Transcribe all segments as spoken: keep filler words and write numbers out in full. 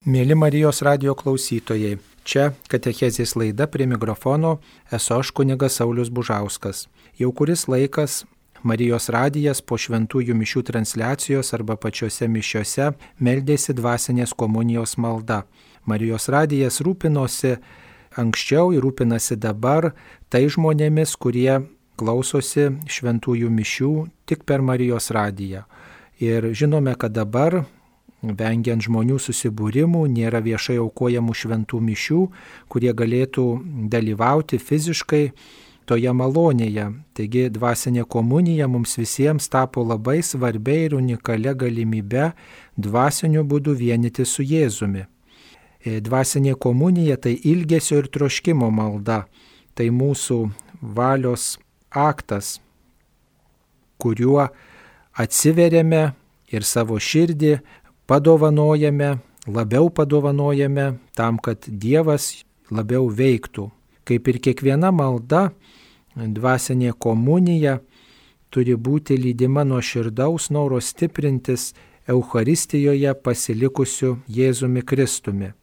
Mėly Marijos radijo klausytojai, čia katechezės laida, prie mikrofono esu aš kunigas Saulius Bužauskas. Jau kuris laikas Marijos radijas po šventųjų mišių transliacijos arba pačiose mišiose meldėsi dvasinės komunijos malda. Marijos radijas rūpinosi anksčiau ir rūpinasi dabar tai žmonėmis, kurie klausosi šventųjų mišių tik per Marijos radiją. Ir žinome, kad dabar, vengiant žmonių susibūrimų, nėra viešai aukojamų šventų mišių, kurie galėtų dalyvauti fiziškai toje malonėje. Taigi dvasinė komunija mums visiems tapo labai svarbia ir unikalia galimybe dvasiniu būdu vienyti su Jėzumi. Dvasinė komunija tai ilgesio ir troškimo malda, tai mūsų valios aktas, kuriuo atsiveriame ir savo širdį padovanojame, labiau padovanojame tam, kad Dievas labiau veiktų. Kaip ir kiekviena malda, dvasinė komunija turi būti lydima nuo širdaus noro stiprintis Eucharistijoje pasilikusiu Jėzumi Kristumi.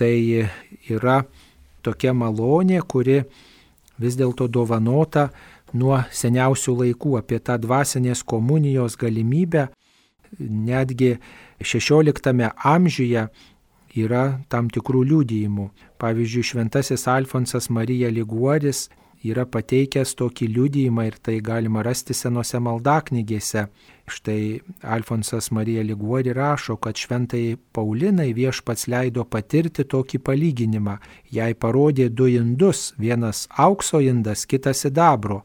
Tai yra tokia malonė, kuri vis dėlto dovanota nuo seniausių laikų. Apie tą dvasinės komunijos galimybę netgi šešioliktame amžiuje yra tam tikrų liudijimų. Pavyzdžiui, šventasis Alfonsas Marija Liguoris yra pateikęs tokį liudijimą ir tai galima rasti senose maldaknygėse. Štai Alfonsas Marija Liguori rašo, kad šventai Paulinai viešpats leido patirti tokį palyginimą. Jai parodė du indus, vienas aukso indas, kitas sidabro.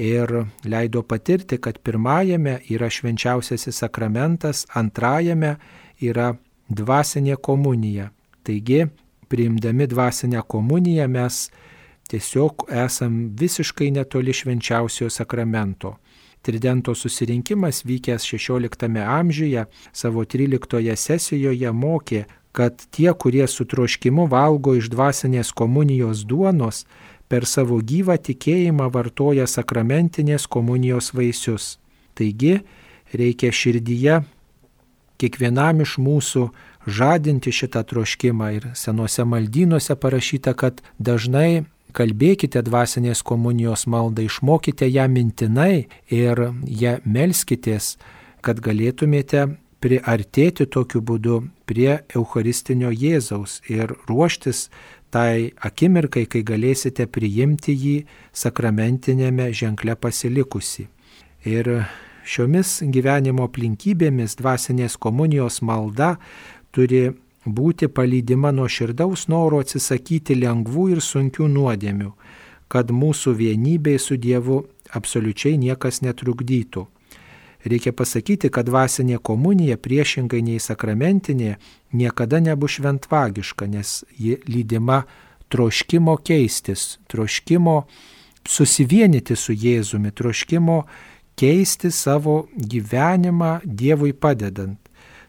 Ir leido patirti, kad pirmajame yra švenčiausiasis sakramentas, antrajame yra dvasinė komunija. Taigi, priimdami dvasinę komuniją mes tiesiog esam visiškai netoli švenčiausiojo sakramento. Tridento susirinkimas vykęs šešioliktame amžiuje savo tryliktoje sesijoje mokė, kad tie, kurie su troškimu valgo iš dvasinės komunijos duonos, per savo gyvą tikėjimą vartoja sakramentinės komunijos vaisius. Taigi reikia širdyje kiekvienam iš mūsų žadinti šitą troškimą ir senuose maldynuose parašyta, kad dažnai kalbėkite dvasinės komunijos maldą, išmokite ją mintinai ir ją melskitės, kad galėtumėte priartėti tokiu būdu prie Eucharistinio Jėzaus ir ruoštis tai akimirkai, kai galėsite priimti jį sakramentinėme ženkle pasilikusi. Ir šiomis gyvenimo aplinkybėmis dvasinės komunijos malda turi būti palydima nuo širdaus noro atsisakyti lengvų ir sunkių nuodėmių, kad mūsų vienybei su Dievu absoliučiai niekas netrukdytų. Reikia pasakyti, kad dvasinė komunija priešingai nei sakramentinė niekada nebus šventvagiška, nes ji lydima troškimo keistis, troškimo susivienyti su Jėzumi, troškimo keisti savo gyvenimą Dievui padedant.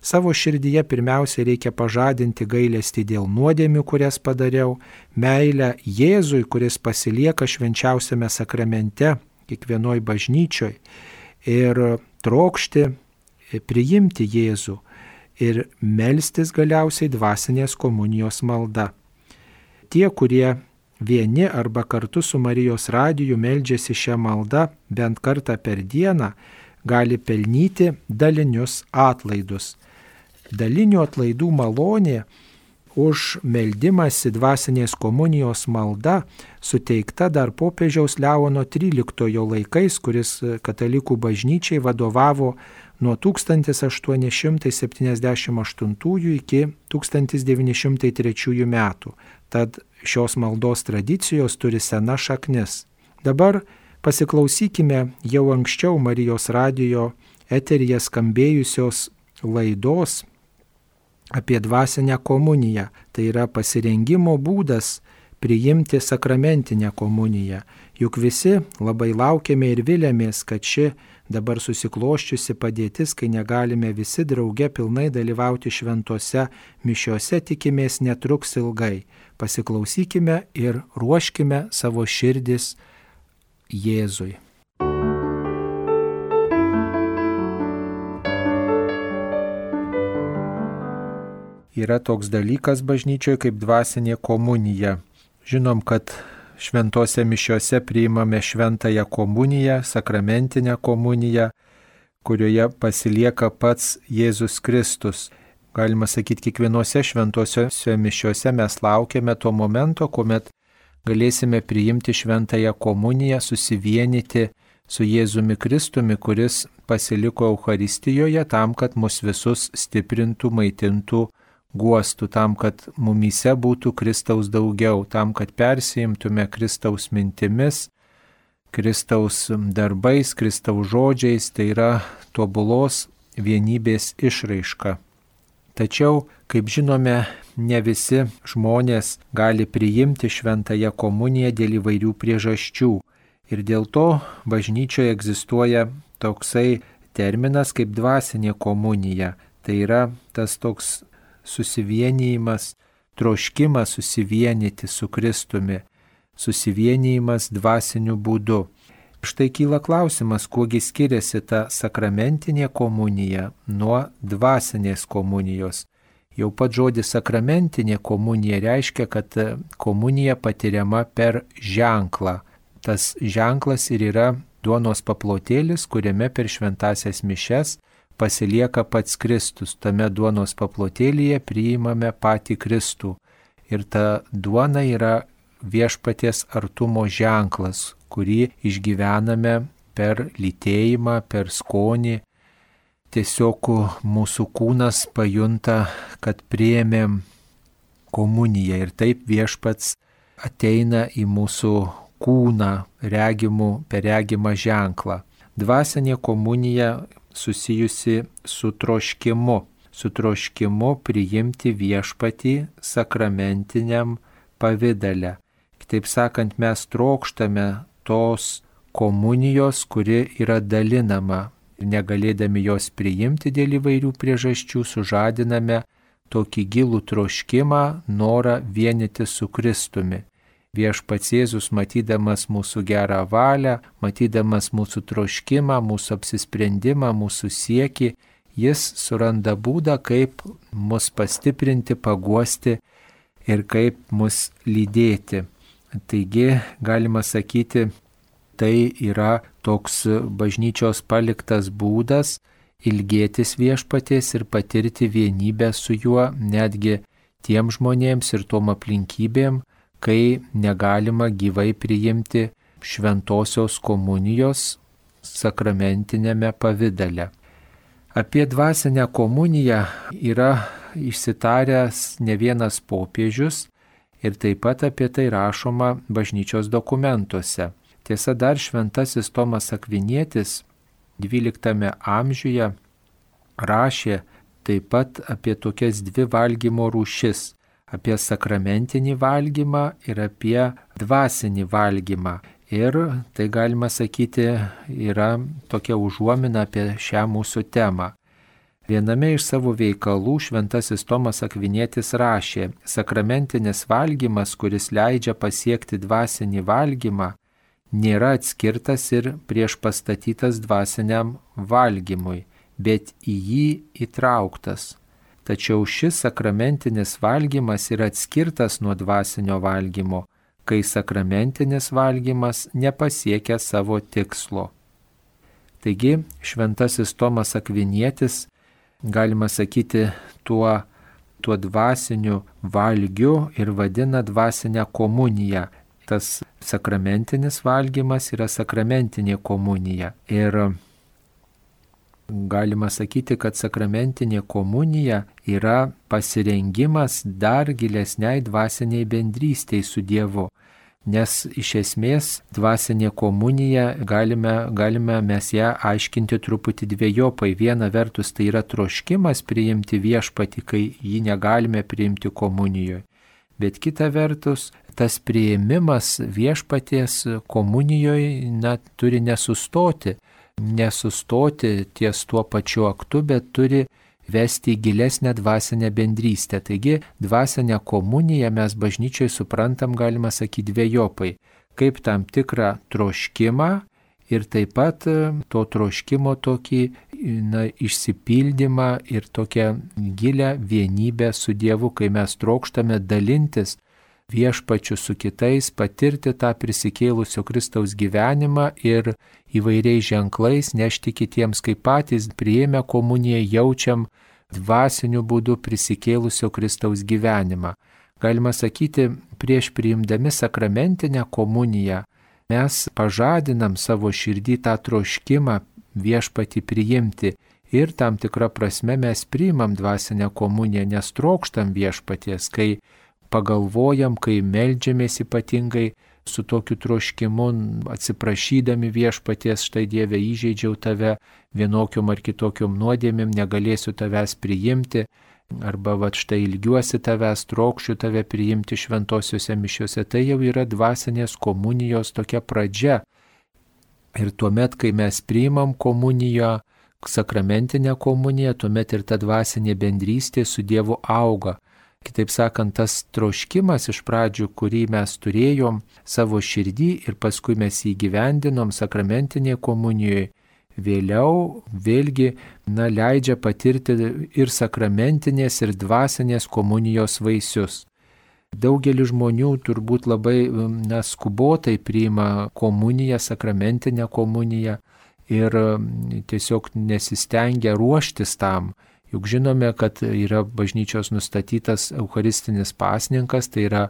Savo širdyje pirmiausia reikia pažadinti gailestį dėl nuodėmių, kurias padariau, meilę Jėzui, kuris pasilieka švenčiausiame sakramente, kiekvienoj bažnyčioj, ir trokšti priimti Jėzų ir melstis galiausiai dvasinės komunijos malda. Tie, kurie vieni arba kartu su Marijos radiju meldžiasi šią maldą bent kartą per dieną, gali pelnyti dalinius atlaidus. Dalinių atlaidų malonė už meldimąsi dvasinės komunijos malda suteikta dar popiežiaus Leono tryliktojo laikais, kuris katalikų bažnyčiai vadovavo nuo tūkstantis aštuoni šimtai septyniasdešimt aštuntųjų iki tūkstantis devyni šimtai trečiųjų metų. Tad šios maldos tradicijos turi senas šaknis. Dabar pasiklausykime jau anksčiau Marijos radijo eteryje skambėjusios laidos apie dvasinę komuniją. Tai yra pasirengimo būdas priimti sakramentinę komuniją. Juk visi labai laukiame ir vilėmės, kad ši dabar susikloščiusi padėtis, kai negalime visi drauge pilnai dalyvauti šventose mišiose, tikimės netruks ilgai. Pasiklausykime ir ruoškime savo širdis Jėzui. yra toks dalykas bažnyčioje kaip dvasinė komunija. Žinom, kad šventose mišiose priimame šventąją komuniją, sakramentinę komuniją, kurioje pasilieka pats Jėzus Kristus. Galima sakyti, kiekvienose šventosiose mišiose mes laukiame to momento, kuomet galėsime priimti šventąją komuniją, susivienyti su Jėzumi Kristumi, kuris pasiliko Eucharistijoje tam, kad mus visus stiprintų, maitintų, guostų, tam, kad mumyse būtų Kristaus daugiau, tam, kad persijimtume Kristaus mintimis, Kristaus darbais, Kristaus žodžiais, tai yra tobulos vienybės išraiška. Tačiau, kaip žinome, ne visi žmonės gali priimti šventąją komuniją dėl įvairių priežasčių. Ir dėl to bažnyčioje egzistuoja toksai terminas kaip dvasinė komunija. Tai yra tas toks susivienijimas, troškimas susivienyti su Kristumi, susivienijimas dvasiniu būdu. Štai kyla klausimas, kuogi skiriasi ta sakramentinė komunija nuo dvasinės komunijos. Jau pat žodis sakramentinė komunija reiškia, kad komunija patiriama per ženklą. Tas ženklas ir yra duonos paplotėlis, kuriame per šventąsias mišias pasilieka pats Kristus. Tame duonos paplotėlyje priimame patį Kristų. Ir ta duona yra viešpaties artumo ženklas, kurį išgyvename per lytėjimą, per skonį. Tiesiog mūsų kūnas pajunta, kad priėmėm komuniją ir taip viešpats ateina į mūsų kūną regimų, per regimą ženklą. Dvasinė komunija susijusi su troškimu, su troškimu priimti viešpatį sakramentiniam pavidale. Kitaip sakant, mes trokštame tos komunijos, kuri yra dalinama. Ir negalėdami jos priimti dėl įvairių priežasčių, sužadiname tokį gilų troškimą, norą vienyti su Kristumi. Viešpats Jėzus, matydamas mūsų gerą valią, matydamas mūsų troškimą, mūsų apsisprendimą, mūsų siekį, jis suranda būdą, kaip mus pastiprinti, paguosti ir kaip mus lydėti. Taigi, galima sakyti, tai yra toks bažnyčios paliktas būdas ilgėtis viešpaties ir patirti vienybę su juo netgi tiem žmonėms ir tom aplinkybėm, kai negalima gyvai priimti šventosios komunijos sakramentinėme pavidale. Apie dvasinę komuniją yra išsitaręs ne vienas popiežius ir taip pat apie tai rašoma bažnyčios dokumentuose. Tiesa, dar šventasis Tomas Akvinietis dvyliktame amžiuje rašė taip pat apie tokias dvi valgymo rūšis – apie sakramentinį valgymą ir apie dvasinį valgymą. Ir tai galima sakyti yra tokia užuomina apie šią mūsų temą. Viename iš savo veikalų šventasis Tomas Akvinietis rašė: sakramentinis valgymas, kuris leidžia pasiekti dvasinį valgymą, nėra atskirtas ir priešpastatytas dvasiniam valgymui, bet į jį įtrauktas. Tačiau šis sakramentinis valgymas yra atskirtas nuo dvasinio valgymo, kai sakramentinis valgymas nepasiekia savo tikslo. Taigi, šventasis Tomas Akvinietis, galima sakyti, tuo, tuo dvasiniu valgiu ir vadina dvasinę komuniją. Tas sakramentinis valgymas yra sakramentinė komunija. Ir galima sakyti, kad sakramentinė komunija yra pasirengimas dar gilesniai dvasiniai bendrystei su Dievu. Nes iš esmės dvasinė komunija galime, galime mes ją aiškinti truputį dviejopai. Viena vertus tai yra troškimas priimti viešpatį, kai jį negalime priimti komunijoje. Bet kita vertus, tas priėmimas viešpaties komunijoje na, turi nesustoti. Nesustoti ties tuo pačiu aktu, bet turi vesti į gilesnę dvasinę bendrystę. Taigi dvasinę komuniją mes bažnyčiai suprantam, galima sakyti, dvejopai. Kaip tam tikrą troškimą ir taip pat to troškimo tokį na, išsipildymą ir tokią gilę vienybę su Dievu, kai mes trokštame dalintis viešpačiu su kitais, patirti tą prisikėlusio Kristaus gyvenimą ir įvairiais ženklais nešti kitiems, kaip patys priėmę komuniją jaučiam dvasiniu būdu prisikėlusio Kristaus gyvenimą. Galima sakyti, prieš priimdami sakramentinę komuniją mes pažadinam savo širdį tą troškimą viešpatį priimti ir tam tikrą prasme mes priimam dvasinę komuniją, nes trokštam viešpaties, kai pagalvojam, kai meldžiamės ypatingai su tokiu troškimu, atsiprašydami viešpaties, štai Dieve įžeidžiau tave vienokiom ar kitokiom nuodėmėm, negalėsiu tavęs priimti, arba va štai ilgiuosi tavęs, trokšiu tave priimti šventosiuose mišiuose, tai jau yra dvasinės komunijos tokia pradžia. Ir tuomet, kai mes priimam komuniją, sakramentinę komuniją, tuomet ir ta dvasinė bendrystė su Dievu auga. Kitaip sakant, tas troškimas iš pradžių, kurį mes turėjom savo širdį ir paskui mes jį gyvendinom sakramentinėje komunijoje, vėliau vėlgi na, leidžia patirti ir sakramentinės, ir dvasinės komunijos vaisius. Daugelis žmonių turbūt labai na, skubotai priima komuniją, sakramentinę komuniją ir tiesiog nesistengia ruoštis tam. Juk žinome, kad yra bažnyčios nustatytas eucharistinis pasninkas, tai yra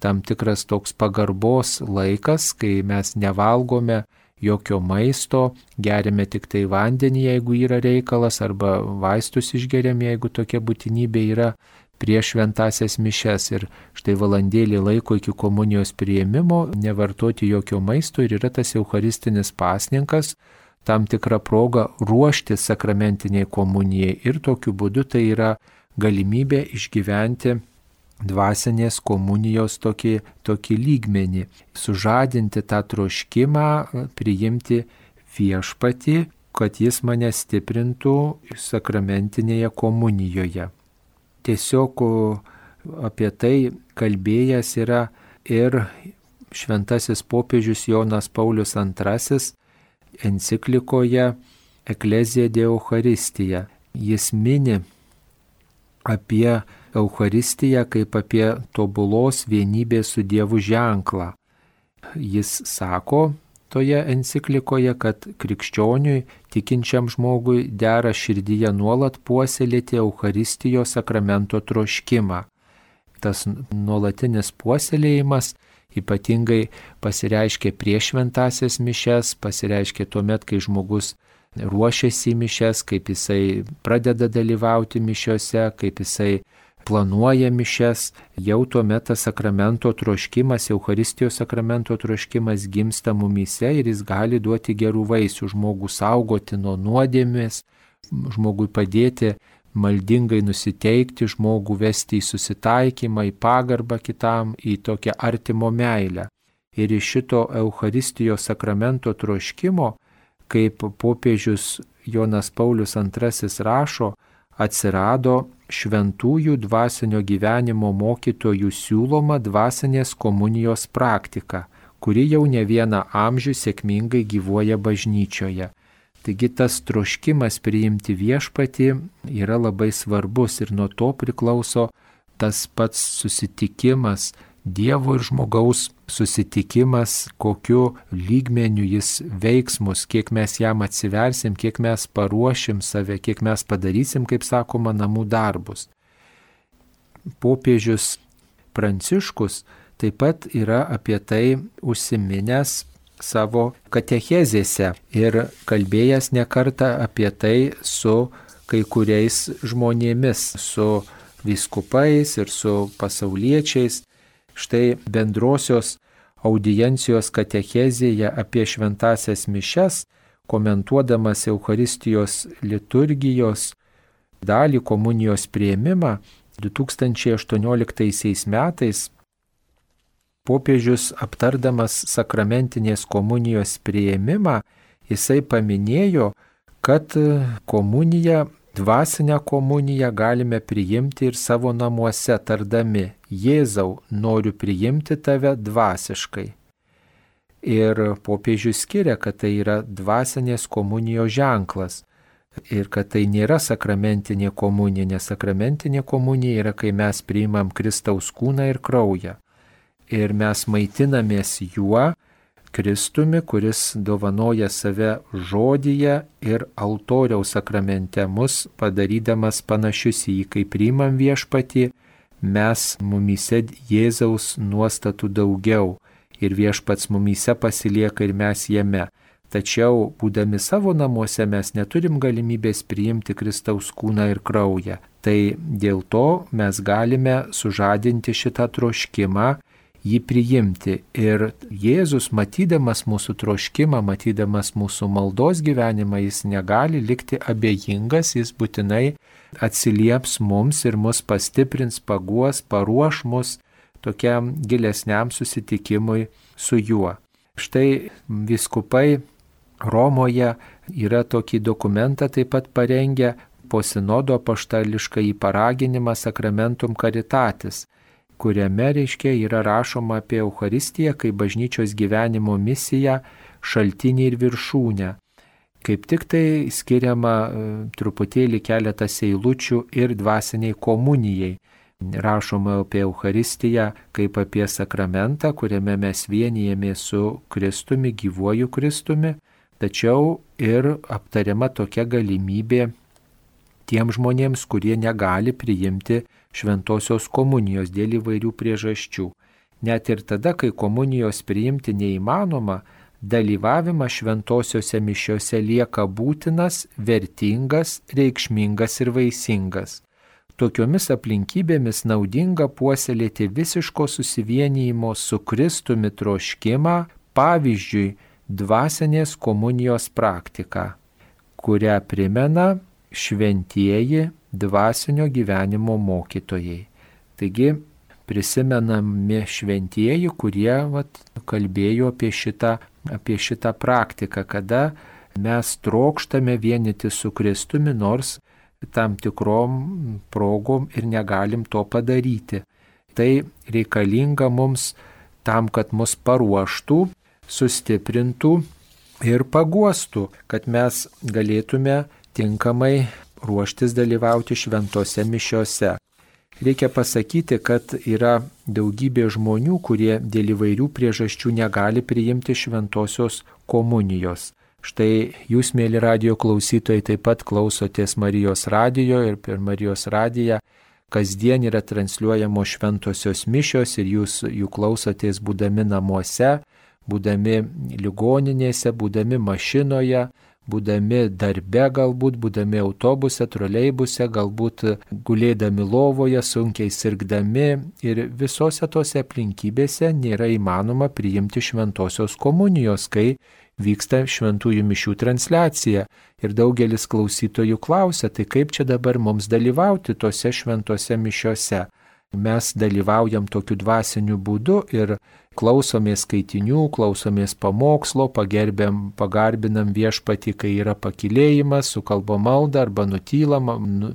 tam tikras toks pagarbos laikas, kai mes nevalgome jokio maisto, geriame tik tai vandenį, jeigu yra reikalas, arba vaistus išgeriame, jeigu tokia būtinybė yra prieš šventąsias mišias. Ir štai valandėlį laiko iki komunijos priėmimo nevartoti jokio maisto ir yra tas eucharistinis pasninkas, tam tikrą progą ruošti sakramentiniai komunijai ir tokiu būdu tai yra galimybė išgyventi dvasinės komunijos tokį, tokį lygmenį, sužadinti tą troškimą, priimti viešpatį, kad jis mane stiprintų sakramentinėje komunijoje. Tiesiog apie tai kalbėjęs yra ir šventasis popiežius Jonas Paulius antrasis, enciklikoje Ecclesia de Eucharistija. Jis mini apie Eucharistiją kaip apie tobulos vienybės su Dievu ženklą. Jis sako toje enciklikoje, kad krikščioniui, tikinčiam žmogui dera širdyje nuolat puoselėti Eucharistijos sakramento troškimą. Tas nuolatinis puoselėjimas ypatingai pasireiškia prieš šventąsias mišias, pasireiškia tuomet, kai žmogus ruošiasi į mišias, kaip jisai pradeda dalyvauti mišiose, kaip jisai planuoja mišias, jau tuomet tas sakramento troškimas, Eucharistijos sakramento troškimas gimsta mumyse ir jis gali duoti gerų vaisių, žmogų saugoti nuo nuodėmės, žmogui padėti maldingai nusiteikti, žmogų vesti į susitaikymą, į pagarbą kitam, į tokią artimo meilę. Ir iš šito Eucharistijos sakramento troškimo, kaip popiežius Jonas Paulius antrasis rašo, atsirado šventųjų dvasinio gyvenimo mokytojų siūloma dvasinės komunijos praktika, kuri jau ne vieną amžių sėkmingai gyvuoja bažnyčioje. Taigi tas troškimas priimti viešpatį yra labai svarbus ir nuo to priklauso tas pats susitikimas, Dievo ir žmogaus susitikimas, kokiu lygmeniu jis veiks mus, kiek mes jam atsiversim, kiek mes paruošim save, kiek mes padarysim, kaip sakoma, namų darbus. Popiežius Pranciškus taip pat yra apie tai užsiminęs savo katechezėse ir kalbėjęs ne kartą apie tai su kai kuriais žmonėmis, su vyskupais ir su pasauliečiais. Štai bendrosios audiencijos katechezėje apie šventąsias mišias, komentuodamas Eucharistijos liturgijos dalį, komunijos priėmimą du tūkstančiai aštuonioliktaisiais metais, popiežius aptardamas sakramentinės komunijos priėmimą, jisai paminėjo, kad komuniją, dvasinę komuniją galime priimti ir savo namuose tardami: Jėzau, noriu priimti tave dvasiškai. Ir popiežius skiria, kad tai yra dvasinės komunijos ženklas. ir kad tai nėra sakramentinė komunija, nes sakramentinė komunija yra, kai mes priimam Kristaus kūną ir kraują. Ir mes maitinamės juo, Kristumi, kuris dovanoja save žodyje ir altoriaus sakramente, mus padarydamas panašius į jį. Kai priimam Viešpatį, mes mumyse Jėzaus nuostatų daugiau ir Viešpats mumyse pasilieka ir mes jame. Tačiau, būdami savo namuose, mes neturim galimybės priimti Kristaus kūną ir kraują. Tai dėl to mes galime sužadinti šitą troškimą, jį priimti. Ir Jėzus, matydamas mūsų troškimą, matydamas mūsų maldos gyvenimą, jis negali likti abejingas, jis būtinai atsilieps mums ir mus pastiprins, paguos, paruoš mus tokiam gilesniam susitikimui su juo. Štai vyskupai Romoje yra tokį dokumentą taip pat parengę po sinodo apaštališką į paraginimą Sacramentum Caritatis, kuriame, reiškia, yra rašoma apie Eucharistiją kaip bažnyčios gyvenimo misiją, šaltinį ir viršūnę. Kaip tik tai skiriama truputėlį keletas eilučių ir dvasiniai komunijai. Rašoma apie Eucharistiją kaip apie sakramentą, kuriame mes vienijamės su Kristumi, gyvuoju Kristumi, tačiau ir aptariama tokia galimybė tiem žmonėms, kurie negali priimti šventosios komunijos dėl įvairių priežasčių. Net ir tada, kai komunijos priimti neįmanoma, dalyvavimas šventosiose mišiose lieka būtinas, vertingas, reikšmingas ir vaisingas. Tokiomis aplinkybėmis naudinga puoselėti visiško susivienijimo su Kristumi troškimą, pavyzdžiui, dvasinės komunijos praktika, kurią primena šventieji dvasinio gyvenimo mokytojai. Taigi prisimenami šventieji, kurie vat, kalbėjo apie šitą, apie šitą praktiką, kada mes trokštame vienyti su Kristumi, nors tam tikrom progom ir negalim to padaryti. Tai reikalinga mums tam, kad mus paruoštų, sustiprintų ir paguostų, kad mes galėtume tinkamai ruoštis dalyvauti šventose mišiose. Reikia pasakyti, kad yra daugybė žmonių, kurie dėl įvairių priežasčių negali priimti šventosios komunijos. Štai jūs, mėly radijo klausytojai, taip pat klausotės Marijos radijo ir per Marijos radiją kasdien yra transliuojamos šventosios mišios ir jūs jų klausotės būdami namuose, būdami ligoninėse, būdami mašinoje, būdami darbe galbūt, būdami autobuse, troleibuse, galbūt gulėdami lovoje, sunkiai sirgdami ir visose tose aplinkybėse nėra įmanoma priimti šventosios komunijos, kai vyksta šventųjų mišių transliacija. Ir daugelis klausytojų klausia, tai kaip čia dabar mums dalyvauti tose šventose mišiose? Mes dalyvaujam tokiu dvasiniu būdu ir klausomės skaitinių, klausomės pamokslo, pagerbiam, pagarbinam Viešpatį, kai yra pakylėjimas, sukalbam maldą arba nutylam,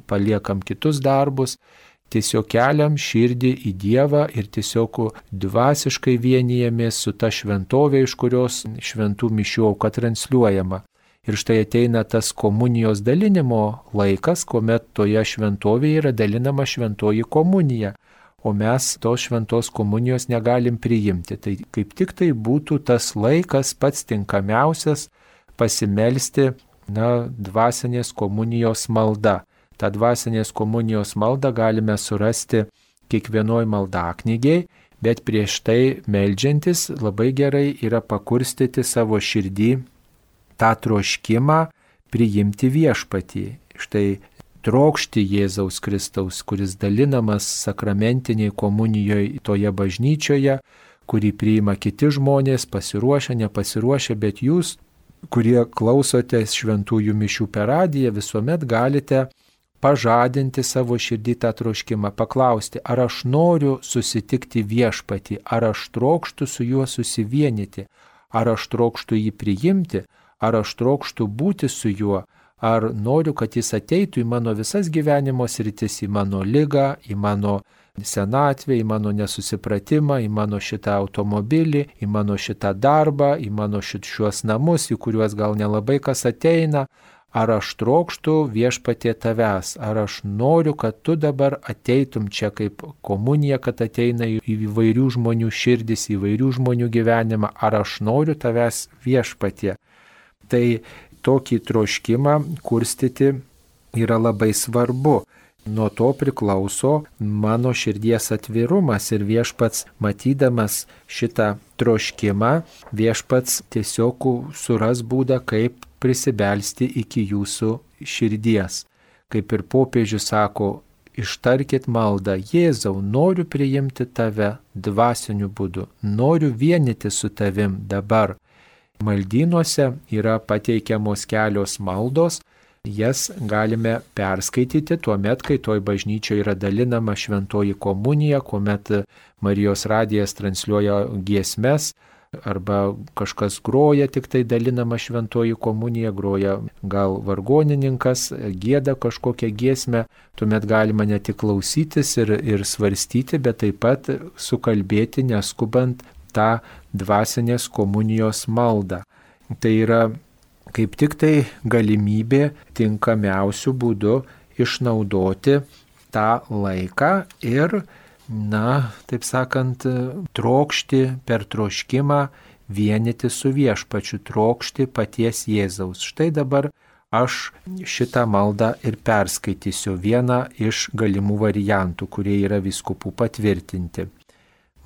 paliekam kitus darbus. Tiesiog keliam širdį į Dievą ir tiesiog dvasiškai vienijamės su ta šventovė, iš kurios šventų mišių auka transliuojama. Ir štai ateina tas komunijos dalinimo laikas, kuomet toje šventovėje yra dalinama šventoji komunija, o mes tos šventos komunijos negalim priimti. Tai kaip tik tai būtų tas laikas pats tinkamiausias pasimelsti, na, dvasinės komunijos malda. Ta dvasinės komunijos maldą galime surasti kiekvienoj maldaknygėj, bet prieš tai meldžiantis labai gerai yra pakurstyti savo širdį tą troškimą priimti Viešpatį. Štai trokšti Jėzaus Kristaus, kuris dalinamas sakramentiniai komunijoje toje bažnyčioje, kurį priima kiti žmonės, pasiruošę, nepasiruošę, bet jūs, kurie klausotės šventųjų mišių per radiją, visuomet galite pažadinti savo širdį tą troškimą, paklausti, ar aš noriu susitikti Viešpatį, ar aš trokštu su juo susivienyti, ar aš trokštu jį priimti, ar aš trokštu būti su juo, ar noriu, kad jis ateitų į mano visas gyvenimo sritis, į mano ligą, į mano senatvę, į mano nesusipratimą, į mano šitą automobilį, į mano šitą darbą, į mano šiuos namus, į kuriuos gal nelabai kas ateina. ar aš trokštu viešpatie tavęs, ar aš noriu, kad tu dabar ateitum čia kaip komunija, kad ateina į įvairių žmonių širdis, į įvairių žmonių gyvenimą, ar aš noriu tavęs viešpatie. Tai tokį troškimą kurstyti yra labai svarbu. Nuo to priklauso mano širdies atvirumas ir viešpats, matydamas šitą troškimą, viešpats tiesiog suras būdą, kaip prisibelsti iki jūsų širdies. Kaip ir popiežius sako, ištarkit maldą: Jėzau, noriu priimti tave dvasiniu būdu, noriu vienyti su tavim dabar. Maldynuose yra pateikiamos kelios maldos. Jas galime perskaityti tuo met, kai toj bažnyčioje yra dalinama šventoji komunija, kuomet Marijos radijas transliuoja giesmes, arba kažkas groja, tik tai dalinama šventoji komunija, groja gal vargonininkas, gieda kažkokią giesmę, tuomet galima ne tik klausytis ir, ir svarstyti, bet taip pat sukalbėti, neskubant tą dvasinės komunijos maldą. Tai yra kaip tik tai galimybė tinkamiausių būdų išnaudoti tą laiką ir, na, taip sakant, trokšti per troškimą vienyti su viešpačiu, trokšti paties Jėzaus. Štai dabar aš šitą maldą ir perskaitysiu, vieną iš galimų variantų, kurie yra vyskupų patvirtinti.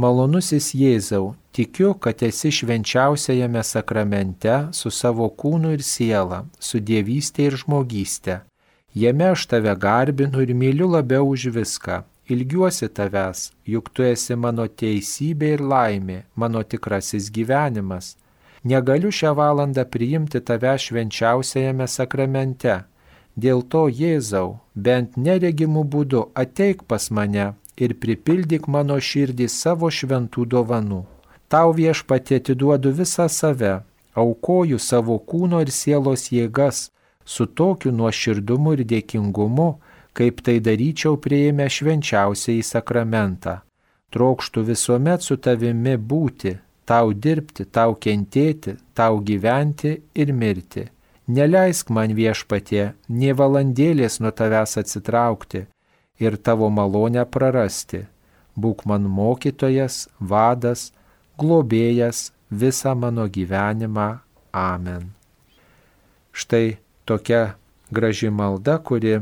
Malonusis Jėzau, tikiu, kad esi švenčiausiajame sakramente su savo kūnu ir siela, su dievystė ir žmogystė. Jame aš tave garbinu ir myliu labiau už viską. Ilgiuosi tavęs, juk tu esi mano teisybė ir laimė, mano tikrasis gyvenimas. Negaliu šią valandą priimti tave švenčiausiajame sakramente. Dėl to, Jėzau, bent neregimų būdu ateik pas mane ir pripildyk mano širdį savo šventų dovanų. Tau viešpatie atiduodu visą save, aukoju savo kūno ir sielos jėgas su tokiu nuoširdumu ir dėkingumu, kaip tai daryčiau priėmę švenčiausiąjį sakramentą. Trokštu visuomet su tavimi būti, tau dirbti, tau kentėti, tau gyventi ir mirti. Neleisk man viešpatie nė valandėlės nuo tavęs atsitraukti ir tavo malonę prarasti. Būk man mokytojas, vadas, globėjas visą mano gyvenimą. Amen. Štai tokia graži malda, kuri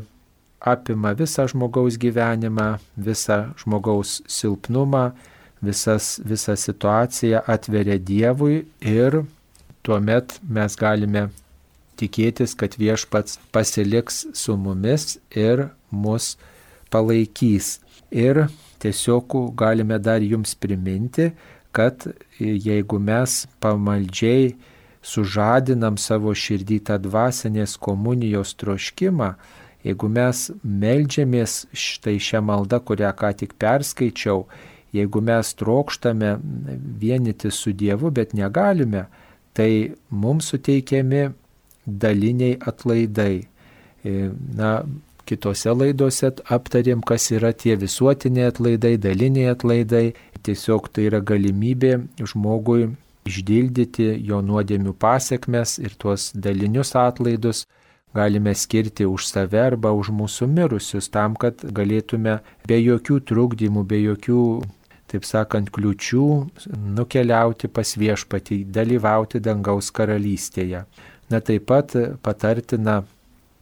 apima visą žmogaus gyvenimą, visą žmogaus silpnumą, visas, visą situaciją atveria Dievui ir tuomet mes galime tikėtis, kad viešpats pasiliks su mumis ir mus palaikys. Ir tiesiog galime dar jums priminti, kad jeigu mes pamaldžiai sužadinam savo širdį tą dvasinės komunijos troškimą, jeigu mes meldžiamės štai šią maldą, kurią ką tik perskaičiau, jeigu mes trokštame vienyti su Dievu, bet negalime, tai mums suteikiami daliniai atlaidai. Na, kitose laidose aptarėm, kas yra tie visuotiniai atlaidai, daliniai atlaidai. Tiesiog tai yra galimybė žmogui išdildyti jo nuodėmių pasekmes ir tuos dalinius atlaidus galime skirti už save arba už mūsų mirusius, tam, kad galėtume be jokių trukdymų, be jokių, taip sakant, kliučių nukeliauti pas viešpatį, dalyvauti dangaus karalystėje. Na, taip pat patartina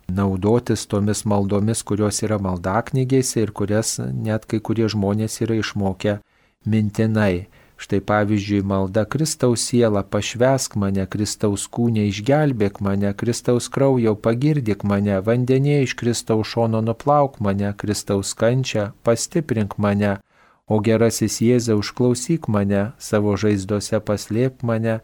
naudotis tomis maldomis, kurios yra maldaknygėse ir kurias net kai kurie žmonės yra išmokę mintinai. Štai pavyzdžiui, malda Kristaus siela, pašvęsk mane, Kristaus kūne išgelbėk mane, Kristaus kraujau pagirdyk mane, vandenyje iš Kristaus šono nuplauk mane, Kristaus kančią pastiprink mane, o gerasis Jėzau užklausyk mane, savo žaizdose paslėpk mane,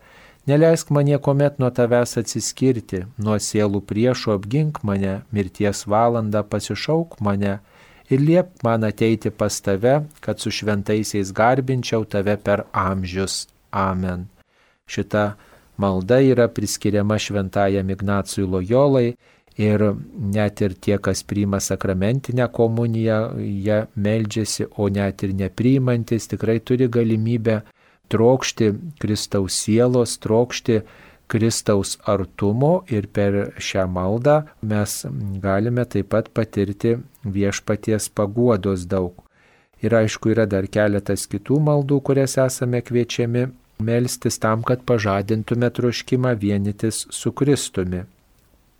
neleisk man niekuomet nuo tavęs atsiskirti, nuo sielų priešų apgink mane, mirties valandą pasišauk mane ir liepk man ateiti pas tave, kad su šventaisiais garbinčiau tave per amžius. Amen. Šita malda yra priskiriama šventajam Ignacui Lojolai ir net ir tie, kas priima sakramentinę komuniją, jie meldžiasi, o net ir nepriimantis tikrai turi galimybę trokšti Kristaus sielos, trokšti Kristaus artumo ir per šią maldą mes galime taip pat patirti viešpaties paguodos daug. Ir aišku, yra dar keletas kitų maldų, kurias esame kviečiami melstis tam, kad pažadintume troškimą vienytis su Kristumi.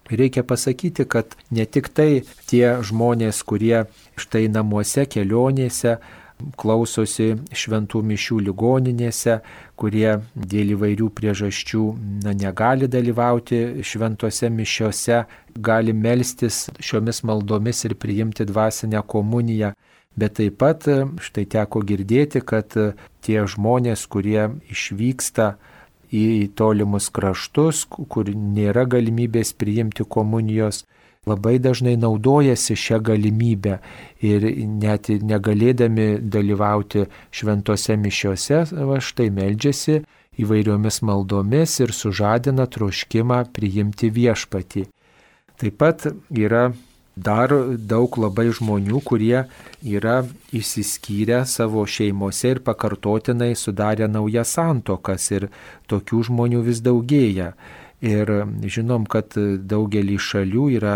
Reikia pasakyti, kad ne tik tai tie žmonės, kurie štai namuose, kelionėse, klausosi šventų mišių ligoninėse, kurie dėl įvairių priežasčių na, negali dalyvauti šventose mišiose, gali melstis šiomis maldomis ir priimti dvasinę komuniją. Bet taip pat štai teko girdėti, kad tie žmonės, kurie išvyksta į tolimus kraštus, kur nėra galimybės priimti komunijos, labai dažnai naudojasi šią galimybę ir net negalėdami dalyvauti šventose mišiose, va štai meldžiasi įvairiomis maldomis ir sužadina troškimą priimti viešpatį. Taip pat yra dar daug labai žmonių, kurie yra išsiskyrę savo šeimose ir pakartotinai sudarę naujas santuokas ir tokių žmonių vis daugėja. Ir žinom, kad daugelį šalių yra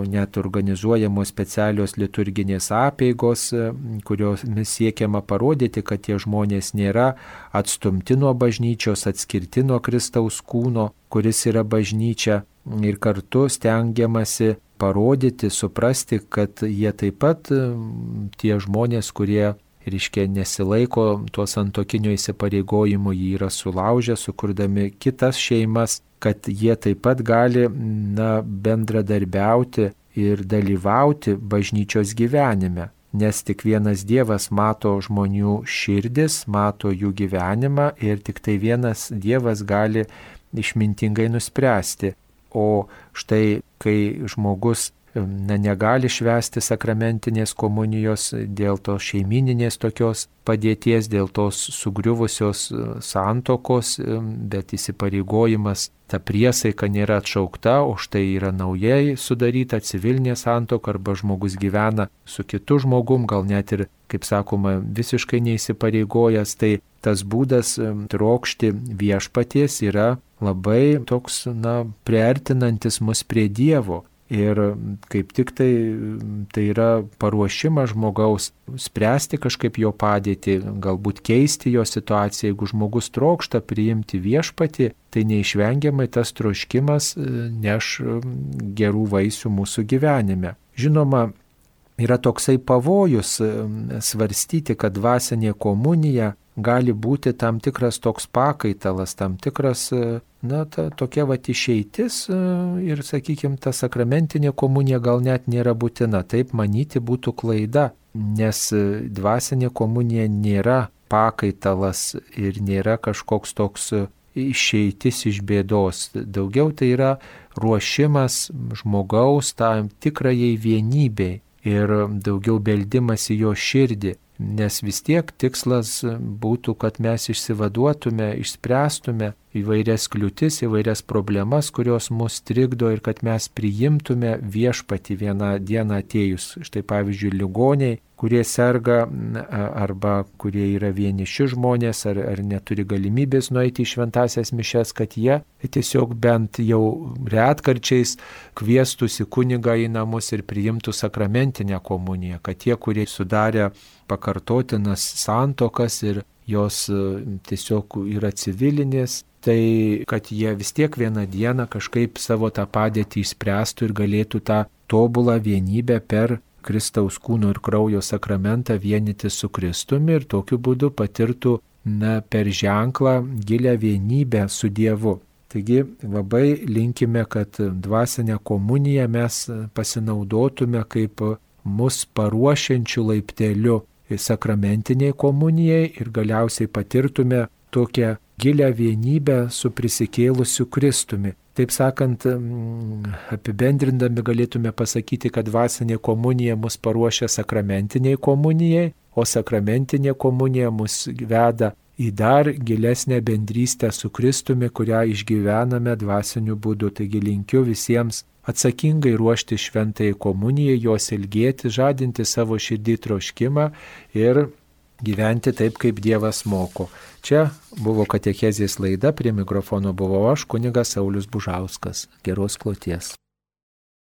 net organizuojamos specialios liturginės apeigos, kuriomis siekiama parodyti, kad tie žmonės nėra atstumti nuo bažnyčios, atskirti nuo Kristaus kūno, kuris yra bažnyčia. Ir kartu stengiamasi parodyti, suprasti, kad jie taip pat tie žmonės, kurie reiškia nesilaiko tuo santuokinio įsipareigojimu, jį yra sulaužę, sukurdami kitas šeimas, kad jie taip pat gali na, bendradarbiauti ir dalyvauti bažnyčios gyvenime. Nes tik vienas Dievas mato žmonių širdis, mato jų gyvenimą ir tik tai vienas Dievas gali išmintingai nuspręsti. O štai, kai žmogus na, negali švęsti sakramentinės komunijos dėl tos šeimininės tokios padėties, dėl tos sugriuvusios santokos, bet įsipareigojimas, ta priesaika nėra atšaukta, o štai yra naujai sudaryta civilinė santoka arba žmogus gyvena su kitu žmogum, gal net ir, kaip sakoma, visiškai neįsipareigojęs, tai tas būdas trokšti viešpaties yra labai toks, na, priartinantis mus prie Dievo. Ir kaip tik tai, tai yra paruošimas žmogaus spręsti kažkaip jo padėtį, galbūt keisti jo situaciją. Jeigu žmogus trokšta priimti viešpatį, tai neišvengiamai tas troškimas neš gerų vaisių mūsų gyvenime. Žinoma, yra toksai pavojus svarstyti, kad dvasinė komunija gali būti tam tikras toks pakaitalas, tam tikras, na, ta, tokia vat išeitis ir, sakykime, ta sakramentinė komunija gal net nėra būtina. Taip manyti būtų klaida, nes dvasinė komunija nėra pakaitalas ir nėra kažkoks toks išeitis iš bėdos. Daugiau tai yra ruošimas žmogaus tam tikrajai vienybei ir daugiau beldimas į jo širdį. Nes vis tiek tikslas būtų, kad mes išsivaduotume, išspręstume įvairias kliūtis, įvairias problemas, kurios mus trikdo ir kad mes priimtume viešpatį vieną dieną atėjus. Štai pavyzdžiui, ligoniai, kurie serga arba kurie yra vieniši žmonės ar, ar neturi galimybės nueiti į šventąsias mišias, kad jie tiesiog bent jau retkarčiais kviestųsi kunigą į namus ir priimtų sakramentinę komuniją, kad tie, kurie sudarė pakartotinas santokas ir jos tiesiog yra civilinės, tai kad jie vis tiek vieną dieną kažkaip savo tą padėtį išspręstų ir galėtų tą tobulą vienybę per Kristaus kūno ir kraujo sakramentą vienyti su Kristumi ir tokiu būdu patirtų na, per ženklą gilę vienybę su Dievu. Taigi labai linkime, kad dvasinę komuniją mes pasinaudotume kaip mus paruošiančių laipteliu sakramentiniai komunijai ir galiausiai patirtume tokią gilę vienybę su prisikėlusiu Kristumi. Taip sakant, apibendrindami galėtume pasakyti, kad dvasinė komunija mus paruošia sakramentiniai komunijai, o sakramentinė komunija mus veda į dar gilesnę bendrystę su Kristumi, kurią išgyvename dvasiniu būdu. Taigi linkiu visiems atsakingai ruošti šventai komunijai, jos ilgėti, žadinti savo širdį troškimą ir gyventi taip, kaip Dievas moko. Čia buvo katechezės laida, prie mikrofono buvau aš, kunigas Saulius Bužauskas. Geros kloties.